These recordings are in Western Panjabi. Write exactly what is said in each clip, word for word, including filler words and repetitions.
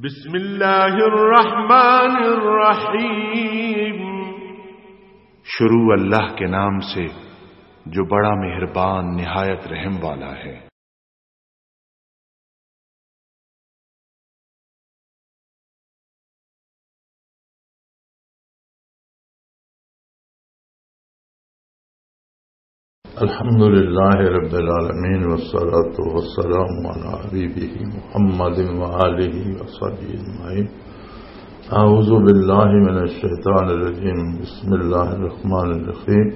بسم اللہ الرحمن الرحیم۔ شروع اللہ کے نام سے جو بڑا مہربان نہایت رحم والا ہے۔ الحمد لله رب العالمين، والصلاة والسلام على حبيبه محمد وآله وصحبه أجمعين. أعوذ بالله من الشيطان الرجيم. بسم الله الرحمن الرحيم.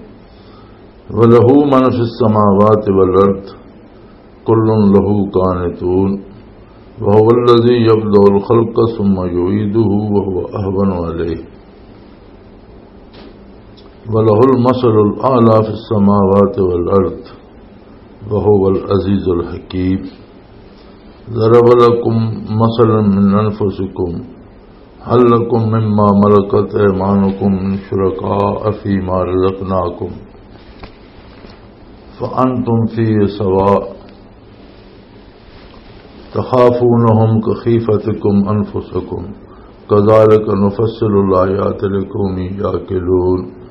وله من في السماوات والأرض كل له قانتون. وهو الذي يبدأ الخلق ثم يعيده وهو أهون عليه. وله المثل الأعلى في السماوات والأرض وهو العزيز الحكيم. ضرب لكم مثلا من أنفسكم، هل لكم مما ملكت أيمانكم من شركاء فيما رزقناكم فأنتم فيه سواء، تخافونهم كخيفتكم أنفسكم، كذلك نفصل الآيات لقوم يعقلون.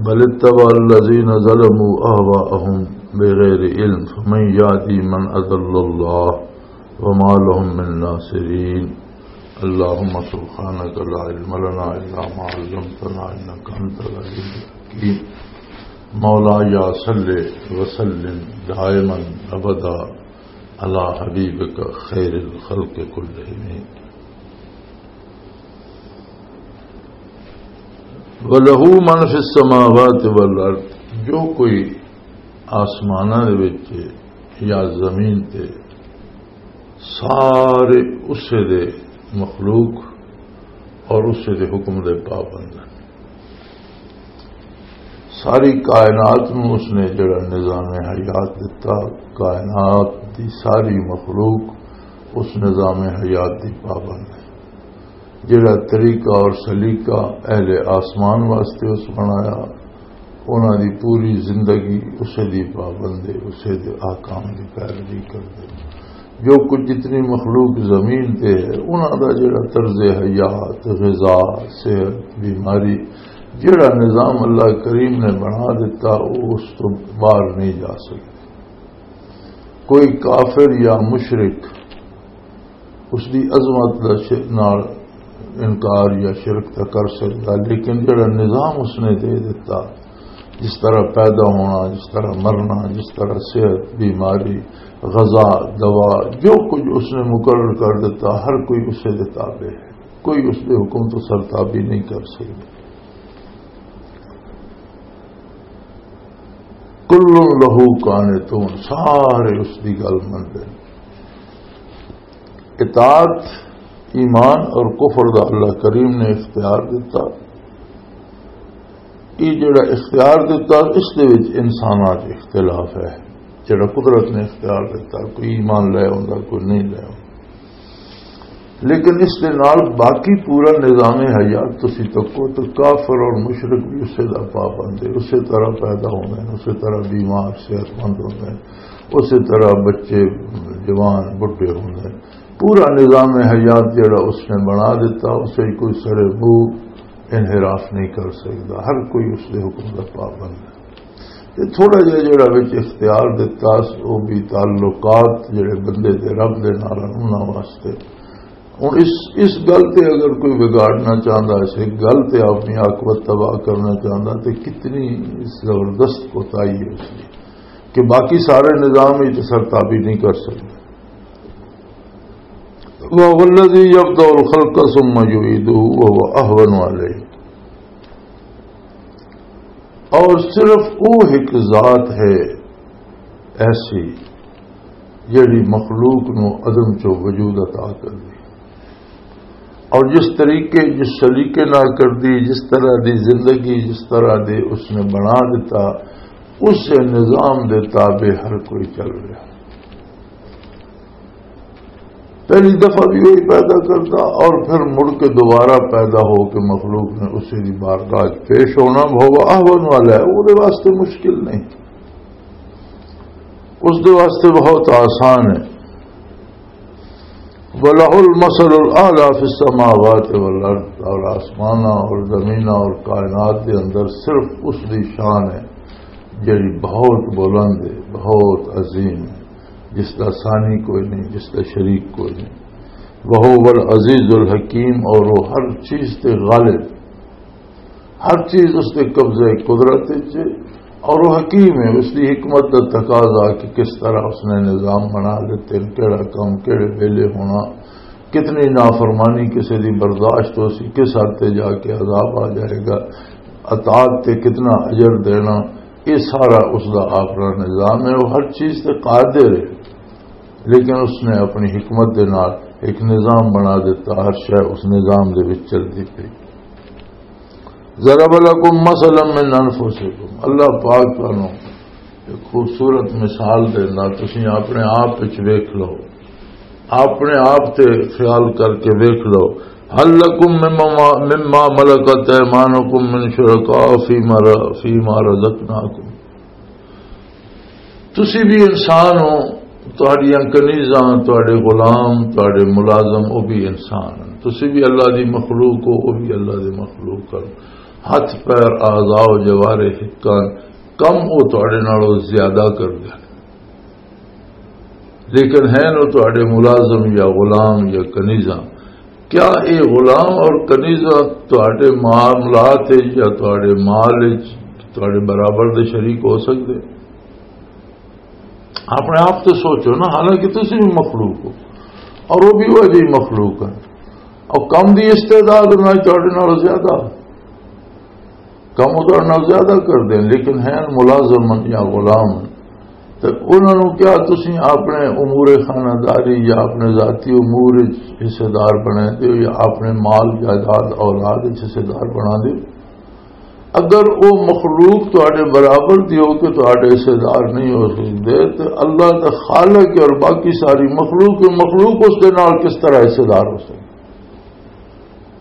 بل اتبع الذين ظلموا أهواءهم بغير علم، فمن يهدي من أضل الله وما لهم من ناصرين. اللهم سبحانك لا علم لنا إلا ما علمتنا إنك أنت العليم الحكيم. مولاي صل وسلم دائما أبدا على حبيبك خير الخلق كلهم. وَلَهُ مَنْ فِي السَّمَاوَاتِ وَالْأَرْضِ، جو کوئی آسماناں دے وچ یا زمین تے، سارے اسے دے مخلوق اور اسے دے حکم دے پابند ہیں۔ ساری کائنات نوں اس نے جڑا نظام حیات دتا، کائنات دی ساری مخلوق اس نظام حیات دی پابند ہے۔ جڑا طریقہ اور سلیقہ اہل آسمان واسطے اس بنایا، انہاں دی پوری زندگی اسے دی پابند ہے، اسے دے احکام دی پیروی کردے۔ جو کچھ جتنی مخلوق زمین تے ہے، انہاں دا جڑا طرز حیات، غذا، صحت، بیماری، جڑا نظام اللہ کریم نے بنا دیتا، وہ اس تو باہر نہیں جا سکتا۔ کوئی کافر یا مشرک اس دی عظمت دا ش-، نال انکار یا شرک تاں کر سکدا، لیکن جڑا نظام اس نے دے دتا، جس طرح پیدا ہونا، جس طرح مرنا، جس طرح صحت، بیماری، غذا، دوا، جو کچھ اس نے مقرر کر دیتا، ہر کوئی اسے دے تابع ہے، کوئی اس دے حکم تو سرتابی نہیں کر سکدا۔ کل لہو قانتون، سارے اس دی گل مندے۔ اطاعت، ایمان اور کفر دا اللہ کریم نے اختیار دیتا۔ یہ جڑا اختیار دیتا، اس دے وچ انساناں 'چ اختلاف ہے۔ جڑا قدرت نے اختیار دیتا، کوئی ایمان لے آوندا، کوئی نہیں لے آوندا۔ لیکن اس دے نال باقی پورا نظام حیات تسی تکو تو کافر اور مشرک بھی اسے دا پابند ہے، اسے طرح پیدا ہوندے ہیں، اسے طرح بیمار صحت مند ہوندے ہیں، اسے طرح بچے جوان بڈھے ہوندے ہیں۔ پورا نظام حیات جڑا اس نے بنا دیتا، اسے کوئی سرے منہ انحراف نہیں کر سکدا، ہر کوئی اس دے حکم دا پابند ہے۔ تے تھوڑا جہا جڑا وچ اختیار دتا، او بھی تعلقات جڑے بندے دے رب دے نال انہاں واسطے۔ ہن اس، اس گل تے اگر کوئی بگاڑنا چاہندا، اس گل تے اپنی عاقبت تباہ کرنا چاہندا، تے کتنی زبردست کوتاہی ہے اس دی کہ باقی سارے نظام وچ سرتابی نہیں کر سکدے۔ وَهُوَ الَّذِي يَبْدَأُ الْخَلْقَ ثُمَّ يُعِيدُهُ وَهُوَ أَهْوَنُ عَلَيْهِ۔ اور صرف وہ ایک ذات ہے ایسی جڑی مخلوق نو عدم چو وجود عطا کر دی، اور جس طریقے، جس سلیقے نال کر دی، جس طرح دی زندگی، جس طرح دے اس نے بنا دیتا، اس نظام دے تابع ہر کوئی چل رہا۔ پہلی دفعہ بھی وہی پیدا کرتا اور پھر مڑ کے دوبارہ پیدا ہو کے مخلوق نے اسی دی بارگاہ 'چ پیش ہونا، وہ اہون والا ہے، وہ دے واسطے مشکل نہیں، اس دے واسطے بہت آسان ہے۔ وَلَهُ الْمَثَلُ الْأَعْلَى فِي السَّمَاوَاتِ وَالْأَرْضِ، اور آسماناں اور زمیناں اور کائنات دے اندر صرف اس دی شان ہے جڑی بہت بلند ہے، بہت عظیم ہے، جس دا ثانی کوئی نہیں، جس دا شریک کوئی نہیں۔ وَهُوَ الْعَزِيزُ الْحَكِيمُ، اور وہ ہر چیز تے غالب، ہر چیز اس دے قبضے قدرت وچ ہے، اور وہ حکیم ہے۔ اس دی حکمت دا تقاضا کہ کس طرح اس نے نظام بنا لیتے ہیں، کیڑا کام کیڑے ویلے ہونا، کتنی نافرمانی کسی دی برداشت ہو سی، کس حد تے جا کے عذاب آ جائے گا، اطاعت تے کتنا اجر دینا، یہ سارا اس دا اپنا نظام ہے۔ وہ ہر چیز تے قادر ہے، لیکن اس نے اپنی حکمت دے نال ایک نظام بنا دیتا، ہر شے اس نظام دے وچ چلدی پئی۔ ضرب لکم مثلا من انفسکم، اللہ پاک تانوں ایک خوبصورت مثال دیندا، تسی اپنے آپ وچ ویکھ لو، اپنے آپ تے خیال کر کے ویکھ لو۔ هل لکم مما، مما ملکت ایمانکم من شرکاء فیما ر-، فیما رزقناکم، تسی بھی انسان ہو، تہاڈیاں کنیزاں، تہاڈے غلام، تہاڈے ملازم، او بھی انسان ہن۔ تسی بھی اللہ دی مخلوق ہو، او بھی اللہ دی مخلوق ہن۔ ہتھ پیر، اعضاء و جوارح ہک ہن، کم او تہاڈے نالوں زیادہ کردے ہن۔ لیکن ہن او تہاڈے ملازم یا غلام یا کنیزاں۔ کیا اے غلام اور کنیزاں تہاڈے معاملات وچ یا تہاڈے مال وچ تہاڈے برابر دے شریک ہو سکدے؟ اپنے آپ تے سوچو نا، حالانکہ تسی بھی مخلوق ہو اور وہ بھی وہ جی مخلوق ہے، اور کم دی استعداد انہاں تہاڈے نال زیادہ، کم وہ تہاڈے نال زیادہ کردے ہیں، لیکن ہیں ملازم یا غلام۔ تے انہاں نوں کیا تسی اپنے امور خانہ داری یا اپنے ذاتی امور وچ حصے دار بناندے ہو یا اپنے مال جائیداد اولاد وچ حصے دار بناندے ہو؟ اگر او مخلوق تہاڈے برابر دی ہو کہ تہاڈے حصے دار نہیں ہو سکدے، تے اللہ دا خالق ہے اور باقی ساری مخلوق ہے، مخلوق اس دے نال کس طرح حصے دار ہو سکدے؟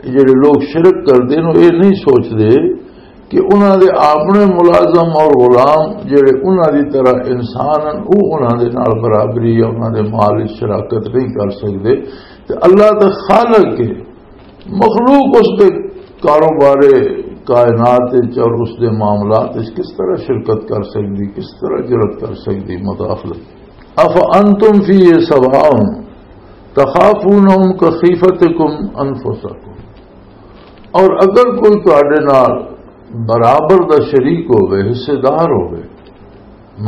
یہ جڑے لوگ شرک کردے نے، یہ نہیں سوچدے کہ انہاں دے اپنے ملازم اور غلام جڑے انہاں دی طرح انسان ہیں، وہ انہاں دے نال برابری یا انہاں دے مال وچ شراکت نہیں کر سکدے۔ تے اللہ دا خالق ہے، مخلوق اس دے کاروبار کائنات وچ اور اس دے معاملات وچ کس طرح شرکت کر سکدی، کس طرح جرات کر سکدی مداخلت؟ افانتم فیہ سواء تخافونہم کخیفتکم انفسکم، اور اگر کوئی تہاڈے نال برابر دا شریک ہوئے، حصے دار ہوئے،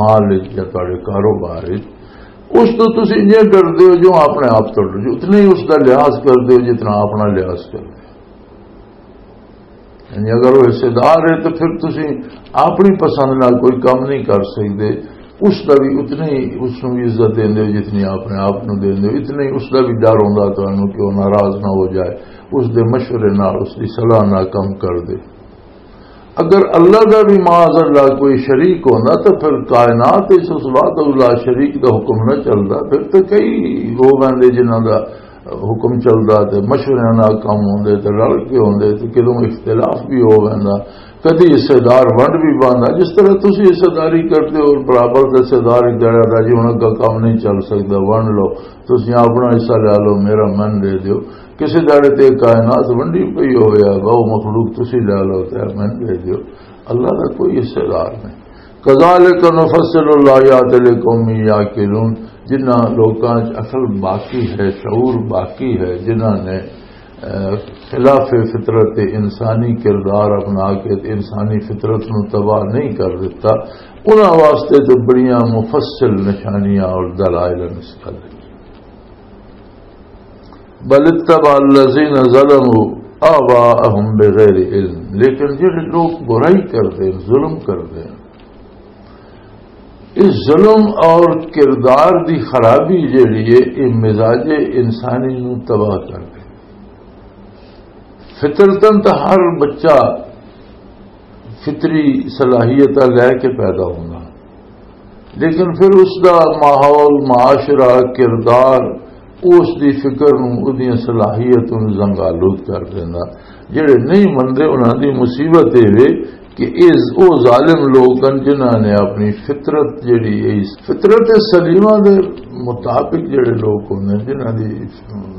مال وچ یا تہاڈے کاروبار وچ، اس تو تسی انجے ڈردے ہو جو اپنے آپ تو ڈردے ہو، اتنے ہی اس دا لحاظ کردے ہو جتنا اپنا لحاظ کردے ہو۔ یعنی اگر وہ حصے دار ہے تو پھر تسی اپنی پسند نال کوئی کام نہیں کر سکدے، اس دا بھی اتنے ہی، اس نوں بھی عزت دیندے ہو جتنی اپنے آپ نوں دیندے ہو، اتنے ہی اس دا بھی ڈر ہوندا تانوں کہ وہ ناراض نہ ہو جائے، اس دے مشورے نال، اس دی صلاح نال کم کر دے۔ اگر اللہ دا بھی معاذ اللہ کوئی شریک ہوندا تو پھر کائنات وچ اس وحدہ لا شریک دا حکم نہ چلدا، پھر تو کئی ہو ویندے جنہاں دا حکم چلدا تے مشوریاں نال کم ہوندے تے رل کے ہوندے تے کدوں اختلاف بھی ہو ویندا، کدی حصے دار ونڈ بھی پاندا۔ جس طرح تسی حصے داری کردے ہو، برابر دے حصے دار ایک جگہ دا جی ہن اگا کم نہیں چل سکدا، ونڈ لو، تسی اپنا حصہ لے لو، میرا من دے دیو۔ کسی داڑے تے کائنات ونڈی پئی ہویا، وہ مخلوق تسی لے لو تے من دے دیو۔ اللہ دا کوئی حصے دار نہیں۔ کذالک نفصل الآیات لقوم یعقلون، جنہاں لوکاں وچ عقل باقی ہے، شعور باقی ہے، جنہاں نے، اے، خلاف فطرت انسانی کردار اپنا کے انسانی فطرت نو تباہ نہیں کر دیتا، انہاں واسطے تو بڑیاں مفصل نشانیاں اور دلائل ہیں اس گل وچ۔ بل اتبع الذین ظلموا آباءہم بغیر علم، لیکن جڑے لوگ برائی کردے ہیں، ظلم کردے ہیں، اس ظلم اور کردار دی خرابی جڑی ہے، یہ مزاج انسانی نو تباہ کر دے۔ فطرتاً تو ہر بچہ فطری صلاحیتاں لے کے پیدا ہونا، لیکن پھر اس دا ماحول، معاشرہ، کردار، اس دی فکر نوں، اس دیاں صلاحیتاں نوں زنگالود کر دیندا۔ جڑے نہیں مندے، انہاں دی مصیبت اے وے کہ اس او ظالم لوگ ہن جنہاں نے اپنی فطرت جڑی ہے، اس فطرت سلیمہ دے مطابق جڑے لوگ ہوندے نے، جنہاں دی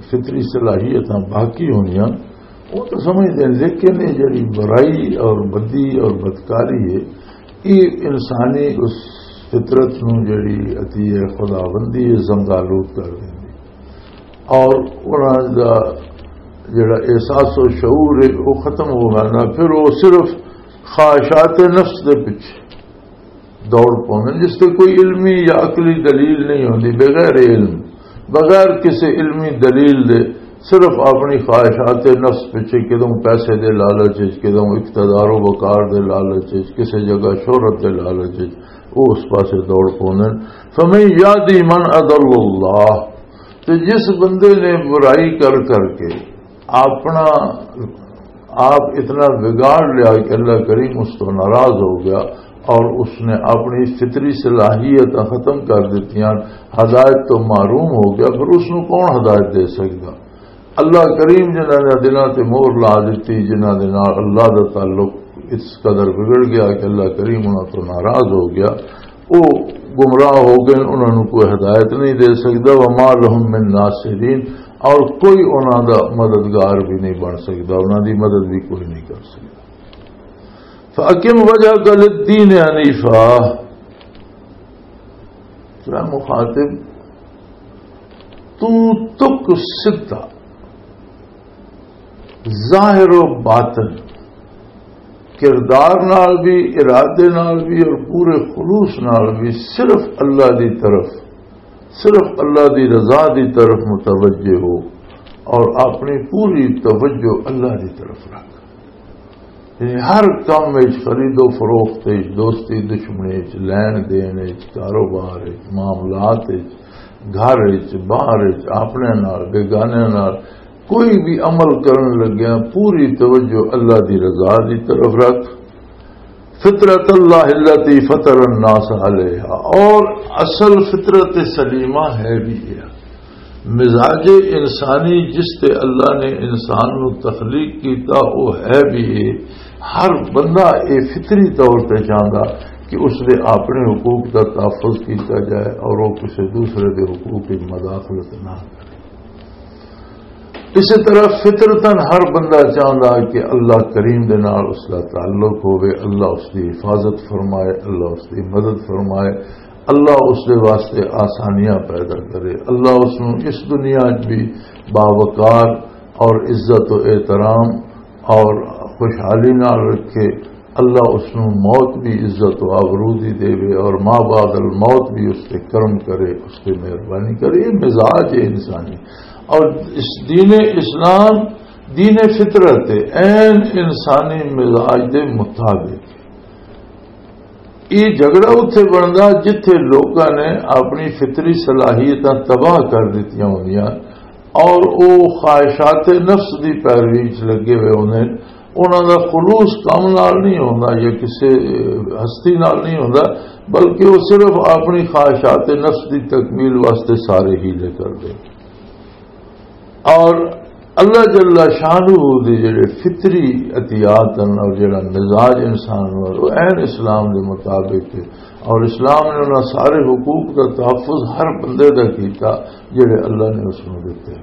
فطری صلاحیتاں باقی ہوندیاں، وہ تو سمجھدے ہیں، لیکن یہ جڑی برائی اور بدی اور بدکاری ہے، یہ انسانی اس فطرت نو جڑی عطیہ خداوندی ہے، زنگالود کر دیندی۔ اور انہاں دا جڑا احساس و شعور ہے، وہ ختم ہو جانا۔ پھر وہ صرف خواہشات نفس دے پیچھے دوڑ پوندے، جس تے کوئی علمی یا عقلی دلیل نہیں ہوندی، بغیر علم، بغیر کسی علمی دلیل دے صرف اپنی خواہشات نفس پیچھے، کدوں پیسے دے لالچ وچ، کدوں اقتدار و وقار دے لالچ وچ، کسی جگہ شہرت دے لالچ وچ، وہ اس پاسے دوڑ پوندے۔ فمن یہدی من اضل اللہ، تے جس بندے نے برائی کر کر کے اپنا آپ اتنا بگاڑ لیا کہ اللہ کریم اس تو ناراض ہو گیا اور اس نے اپنی فطری صلاحیتاں ختم کر دیتیاں، ہدایت تو محروم ہو گیا، پھر اس نو کون ہدایت دے سکدا؟ اللہ کریم جنہاں نے دلاں تے مہر لا دتی، جنہاں دے نال اللہ دا تعلق اس قدر بگڑ گیا کہ اللہ کریم انہاں تو ناراض ہو گیا، وہ گمراہ ہو گئے، انہاں نوں کوئی ہدایت نہیں دے سکدا۔ وما لهم من ناصرین، اور کوئی انہاں دا مددگار بھی نہیں بن سکدا، انہاں دی مدد بھی کوئی نہیں کر سکدا۔ فَأَقِمْ وَجْهَكَ لِلدِّينِ حَنِيفًا، تو مخاطب، تو تک سدھا، ظاہر و باطن، کردار نال بھی، ارادے نال بھی اور پورے خلوص نال بھی صرف اللہ دی طرف، صرف اللہ دی رضا دی طرف متوجہ ہو اور اپنی پوری توجہ اللہ دی طرف رکھ۔ یعنی ہر کم وچ، خرید و فروخت وچ، دوستی دشمنی وچ، لین دین وچ، کاروبار وچ، معاملات وچ، گھر وچ، باہر وچ، اپنے نال، بیگانے نال، کوئی بھی عمل کرن لگیا پوری توجہ اللہ دی رضا دی طرف رکھ۔ فطرت اللہ التی فطر الناس علیہا، اور اصل فطرت سلیمہ ہے بھی یہ۔ مزاج انسانی جس تے اللہ نے انسان نو تخلیق کیتا، وہ ہے بھی یہ۔ ہر بندہ یہ فطری طور تے چاہندا کہ اس دے اپنے حقوق دا تحفظ کیتا جائے اور وہ کسی دوسرے دے حقوق کی مداخلت نہ کرے۔ اسی طرح فطرتاً ہر بندہ چاہندا کہ اللہ کریم دے نال اس دا تعلق ہوے، اللہ اس دی حفاظت فرمائے، اللہ اس دی مدد فرمائے، اللہ اس دے واسطے آسانیاں پیدا کرے، اللہ اس نوں اس دنیا وچ بھی باوقار اور عزت و احترام اور خوشحالی نال رکھے، اللہ اس نوں موت بھی عزت و آبرو دی دے اور ما بعد الموت بھی اس تے کرم کرے، اس تے مہربانی کرے۔ یہ مزاج ہے انسانی۔ اور اس دین اسلام دین فطرت ہے، عین انسانی مزاج دے مطابق۔ یہ جھگڑا اتھے بندا جتھے لوکاں نے اپنی فطری صلاحیتاں تباہ کر دتیاں ہوندیاں اور او خواہشات نفس دی پیروی وچ لگے ہوئے ہوندے۔ انہاں دا خلوص کم نال نہیں ہوندا یا کسے ہستی نال نہیں ہوندا، بلکہ وہ صرف اپنی خواہشات نفس دی تکمیل واسطے سارے ہیلے کردے۔ اور اللہ جل شانہ دے جڑے فطری عطیات ہیں اور جڑا مزاج انسان نوں، وہ عین اسلام دے مطابق ہے۔ اور اسلام نے انہاں سارے حقوق دا تحفظ ہر بندے دا کیتا جڑے اللہ نے اس نوں دتے۔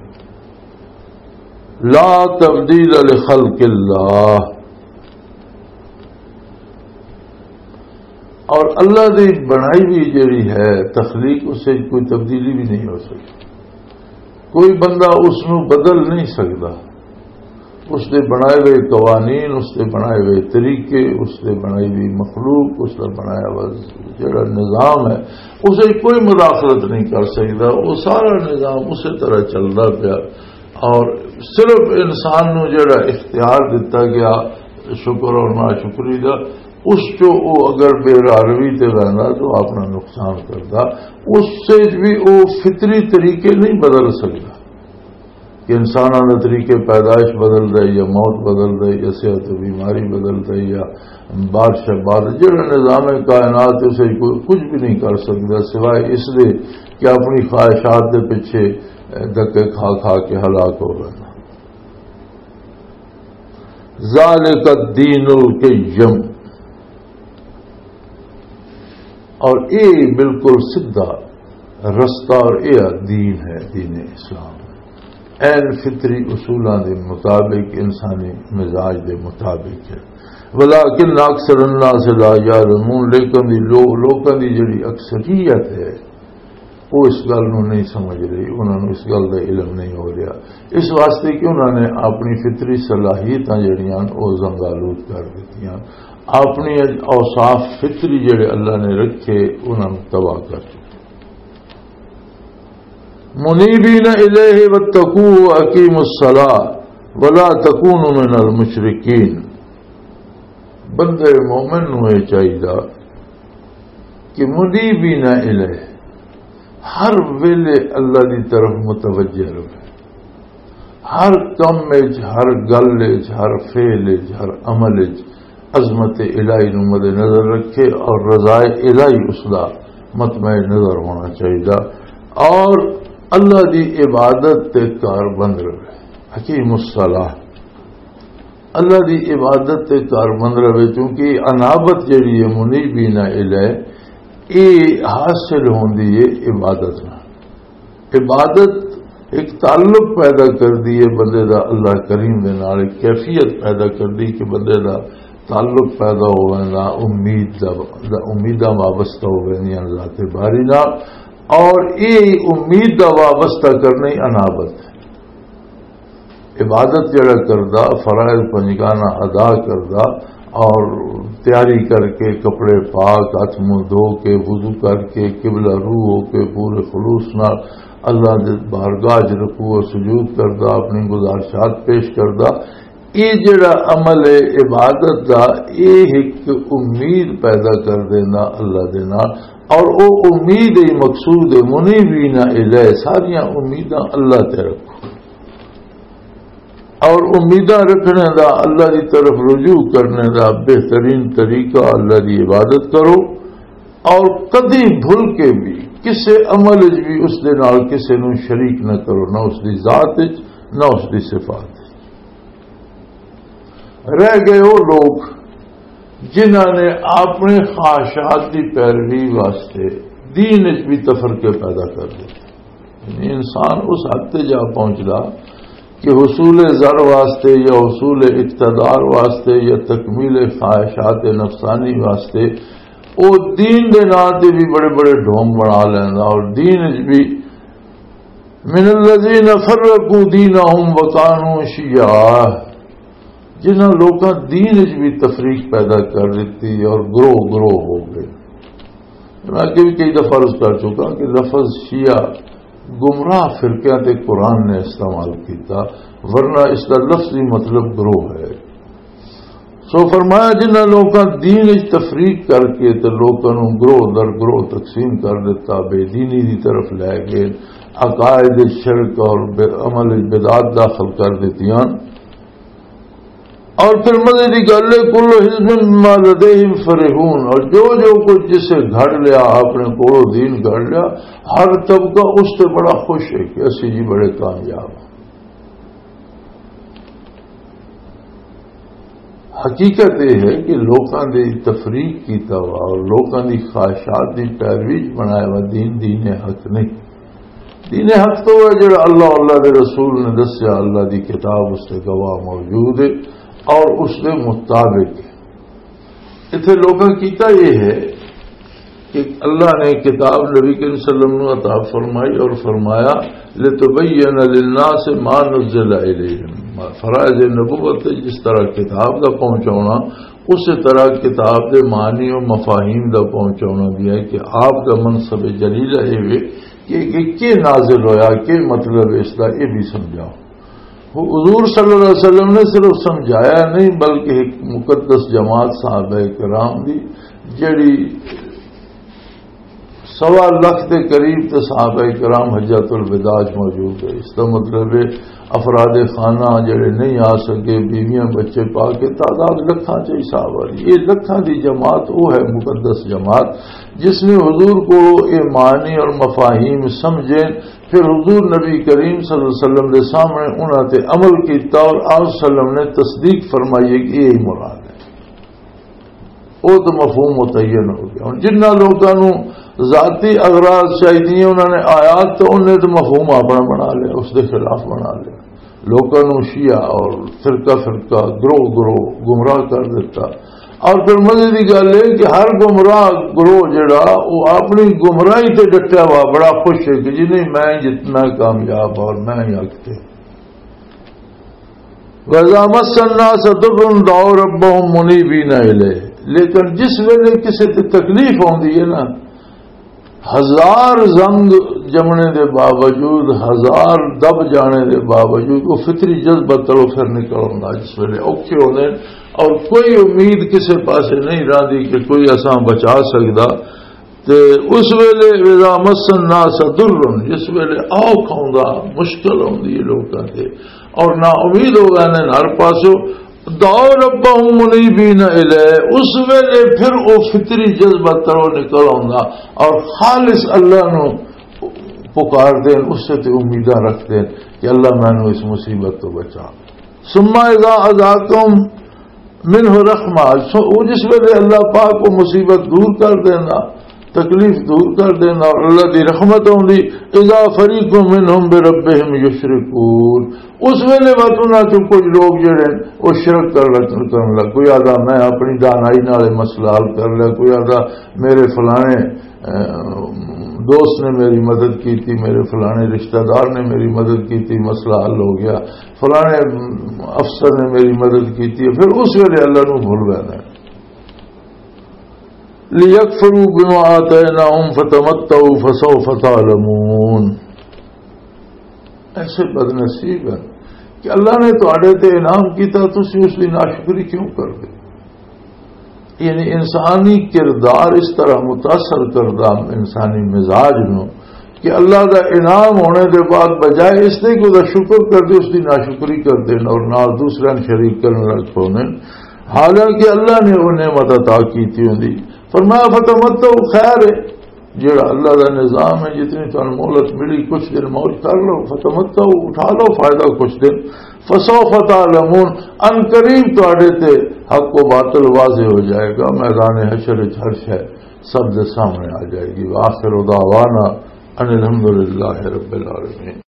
لا تبدیل لخلق اللہ۔ اور اللہ دی بنائی ہوئی جڑی ہے تخلیق، اس وچ کوئی تبدیلی بھی نہیں ہو سکتی۔ کوئی بندہ اس نو بدل نہیں سکدا۔ اس دے بنائے ہوئے قوانین، اس دے بنائے ہوئے طریقے، اس دے بنائی ہوئی مخلوق، اس دا بنایا ہوا جڑا نظام ہے، اس وچ کوئی مداخلت نہیں کر سکدا۔ وہ سارا نظام اسی طرح چلدا پیا۔ اور صرف انسان نو جڑا اختیار دتا گیا شکر اور ناشکری دا، اس چو او اگر بے راروی تے رہندا تو اپنا نقصان کردا۔ اس سے بھی او فطری طریقے نہیں بدل سکدا کہ انساناں دے طریقے پیدائش بدل دے یا موت بدل دے یا صحت و بیماری بدل دے یا بارش بارش، جڑا نظام کائنات ہے، اسے کوئی کچھ بھی نہیں کر سکدا سوائے اس دے کہ اپنی خواہشات دے پیچھے دھکے کھا کھا کے ہلاک ہو رہا۔ ذالک الدین القیم۔ اور اے بالکل سیدھا رستہ اور اے دین ہے، دین اسلام۔ این فطری اصولاں دے مطابق، انسانی مزاج دے مطابق ہے۔ ولیکن اکثر الناس لا یعلمون، لیکن دی لو-، لوکاں دی جڑی اکثریت ہے، وہ اس گل نوں نہیں سمجھ رہی، انہاں نوں اس گل دا علم نہیں ہو رہا۔ اس واسطے کہ انہاں نے اپنی فطری صلاحیتاں جڑیاں او زنگالود کر دتیاں، اپنی اوصاف فطری جڑے اللہ نے رکھے، انہاں نوں تباہ کر دتا۔ منیبین الیہ واتقوہ واقیموا الصلاۃ ولا تکونوا من المشرکین۔ بندے مومن نوں یہ چاہیے کہ منیبین الیہ، ہر ویلے اللہ دی طرف متوجہ رہے، ہر کم وچ، ہر گل وچ، ہر فعل وچ، ہر عمل وچ عظمت الہی نو مد نظر رکھے اور رضائے الہی اس دا مطمع نظر ہونا چاہیے، اور اللہ دی عبادت تے کار بند رہے۔ حکیم الصلاح، اللہ دی عبادت تے کار بند رہے، کیونکہ انابت جڑی ہے، منیبین الیہ، اے حاصل ہوندی ہے عبادت نال۔ عبادت ایک تعلق پیدا کر دی ہے بندے دا اللہ کریم دے نال، ایک کیفیت پیدا کر دی کہ بندے دا تعلق پیدا ہونا، امید دا، دا امیداں وابستہ ہو گئے ذات باری نال، اور یہ امید دا وابستہ کرنا ہی انابت ہے۔ عبادت جڑا کردا، فرائض پنجگانہ ادا کردا، اور تیاری کر کے، کپڑے پاک، ہاتھ منہ دھو کے، وضو کر کے، قبلہ رو ہو کے، پورے خلوص نال اللہ دے بارگاہ وچ رکوع و سجود کردا، اپنی گزارشات پیش کردا۔ یہ جڑا عمل ہے عبادت دا، یہ ایک امید پیدا کر دینا اللہ دے نال، اور او امید ہی مقصود ہے۔ منیبین الیہ، ساریاں امیداں اللہ تے رکھو۔ اور امیداں رکھنے دا، اللہ دی طرف رجوع کرنے دا بہترین طریقہ اللہ دی عبادت کرو، اور کدی بھل کے بھی کسے عمل وچ بھی اس دے نال کسے نوں شریک نہ کرو، نہ اس دی ذات وچ، نہ اس دی صفات وچ۔ رہ گئے وہ لوگ جنہاں نے اپنے خواہشات دی پیروی واسطے دین وچ بھی تفرقے پیدا کر دتے۔ یعنی انسان اس حد تے جا پہنچدا کہ حصول زر واسطے یا حصول اقتدار واسطے یا تکمیل خواہشات نفسانی واسطے او دین دے نام تے بھی بڑے بڑے ڈھونگ بنا لیندا، اور دین وچ بھی من الذین فرقوا دینہم وکانوا شیعا، جنہاں لوکاں دین وچ بھی تفریق پیدا کر دتی اور گروہ گروہ ہو گئے۔ میں اگے بھی کئی دفعہ عرض کر چکا کہ لفظ شیعہ گمراہ فرقیاں تے قرآن نے استعمال کیتا، ورنہ اس دا لفظی مطلب گروہ ہے۔ سو فرمایا، جنہاں لوکاں دین وچ تفریق کر کے تے لوکاں نوں گروہ در گروہ تقسیم کر دتا، بے دینی دی طرف لے گئے، عقائد شرک اور بے-، عمل وچ بدعات داخل کر دتیاں۔ اور پھر مزے دی گل ہے، کل حزب بما لدیہم فرحون، اور جو جو کچھ جسے گھڑ لیا، اپنے کولوں دین گھڑ لیا، ہر طبقہ اس تے بڑا خوش ہے کہ اسی جی بڑے کامیاب ہاں۔ حقیقت یہ ہے کہ لوکاں دی تفریق کیتا ہوا اور لوکاں دی خواہشات دی پیروی چ بنایا ہوا دین، دین حق نہیں۔ دین حق تو وہ جڑا اللہ، اللہ دے رسول نے دسیا، اللہ دی کتاب اس تے گواہ موجود ہے اور اس دے مطابق ہے۔ اتھے لوکاں کیتا یہ ہے کہ اللہ نے کتاب نبی کریم صلی اللہ علیہ وسلم نو عطا فرمائی اور فرمایا، لتبین للناس ما نزل الیہم۔ فرائض نبوت جس طرح کتاب دا پہنچاونا، اسی طرح کتاب دے معنی و مفاہیم دا پہنچاونا بھی ہے کہ آپ دا منصب جلیلہ اے وے کہ، کہ، کہ نازل ہویا، کہ مطلب اس دا، اے بھی سمجھاؤ۔ حضور صلی اللہ علیہ وسلم نے صرف سمجھایا نہیں، بلکہ ایک مقدس جماعت صحابہ کرام دی، جڑی سوا لکھ دے قریب تے صحابہ کرام حجۃ الوداع چ موجود ہے۔ اس دا مطلب ہے، افراد خانہ جڑے نہیں آ سکے، بیویاں بچے پا کے، تعداد لکھاں چ حساب والی۔ یہ لکھاں دی جماعت وہ ہے، مقدس جماعت، جس نے حضور کو یہ معنی اور مفاہیم سمجھے، پھر حضور نبی کریم صلی اللہ علیہ وسلم دے سامنے انہاں تے عمل کیتا اور آپ صلی اللہ علیہ وسلم نے تصدیق فرمائی ہے کہ یہی مراد ہے۔ وہ تو مفہوم متعین ہو گیا۔ ہن جنہاں لوکاں نوں ذاتی اغراض چاہیے، انہاں نے آیات تو انہیں تو مفہوم اپنا بنا لیا، اس دے خلاف بنا لیا۔ لوکاں نوں شیعہ اور فرقہ فرقہ، گروہ گروہ گمراہ کر دیتا۔ اور پھر مزے دی گل ہے کہ ہر گمراہ گروہ جڑا، وہ اپنی گمراہی تے ڈٹیا ہوا بڑا خوش ہے کہ جی نہیں، میں جتنا کامیاب اور میں ہی حق تے۔ وَإِذَا مَسَّ النَّاسَ ضُرٌّ دَعَوْا رَبَّهُمْ مُنِيبِينَ إِلَيْهِ۔ لیکن جس ویلے کسے تے تکلیف آندی ہے نا، ہزار زنگ جمنے دے باوجود، ہزار دب جانے دے باوجود، وہ فطری جذبہ تلو پھر نکل آندا۔ جس ویلے اوکھے ہوندے اور کوئی امید کسے پاسے نہیں رہندی کہ کوئی اساں بچا سکدا، تے اس ویلے اذا مس الناس ضر، جس ویلے اوکھ آوندا، مشکل آوندی ہے لوکاں تے، اور نا امید ہو گئے نے ہر پاسوں، دعوا ربهم منیبین الیہ، اس ویلے پھر او فطری جذبہ ترو نکل آوندا اور خالص اللہ نو پکار دین، اس سے تے امیداں رکھ دین کہ اللہ مینوں اس مصیبت تو بچا۔ ثم اذا اذاقهم منہ رحمہ، سو-، وہ جس ویلے اللہ پاک کو مصیبت دور کر دینا، تکلیف دور کر دینا اور اللہ دی رحمت ہوندی، اذا فریق منہم بربہم یشرکون، اس ویلے وقت انہاں چوں کچھ لوگ جڑے ہیں، وہ شرک کر لگ، کرن لگ۔ کوئی آدھا، "میں اپنی دانائی نال یہ مسئلہ حل کر لیا"، کوئی آدھا، "میرے فلانے، اہ، دوست نے میری مدد کی تھی، میرے فلانے رشتہ دار نے میری مدد کی تھی، مسئلہ حل ہو گیا"، فلانے افسر نے میری مدد کی تھی، پھر اس ویلے اللہ نو بھول گیا۔ لیکفروا بما آتیناہم فتمتعوا فسوف تعلمون۔ ایسے بدنصیب ہیں کہ اللہ نے تواڈے تے انعام کیتا، تسی اس دی ناشکری کیوں کر دے؟ یعنی انسانی کردار اس طرح متاثر کردہ انسانی مزاج نو کہ اللہ دا انعام ہونے دے بعد بجائے اس دے کہ دا شکر کر دے، اس دی ناشکری کر دے اور نال دوسرے شریک کرنے لگ پوندے۔ حالانکہ اللہ نے وہ نعمت عطا کیتی ہوندی۔ فرمایا، "فتمتعوا"، خیر ہے، جڑا اللہ دا نظام ہے، جتنی تانوں مہلت ملی، کچھ دن موج کر لو، "فتمتعوا"، اٹھا لو فائدہ کچھ دن، "فسوف تعلمون"، ان قریب تواڈے تے حق و باطل واضح ہو جائے گا، میدان حشر وچ ہر شے سب دے سامنے آ جائے گی۔ وآخر دعوانا ان الحمدللہ رب العالمین۔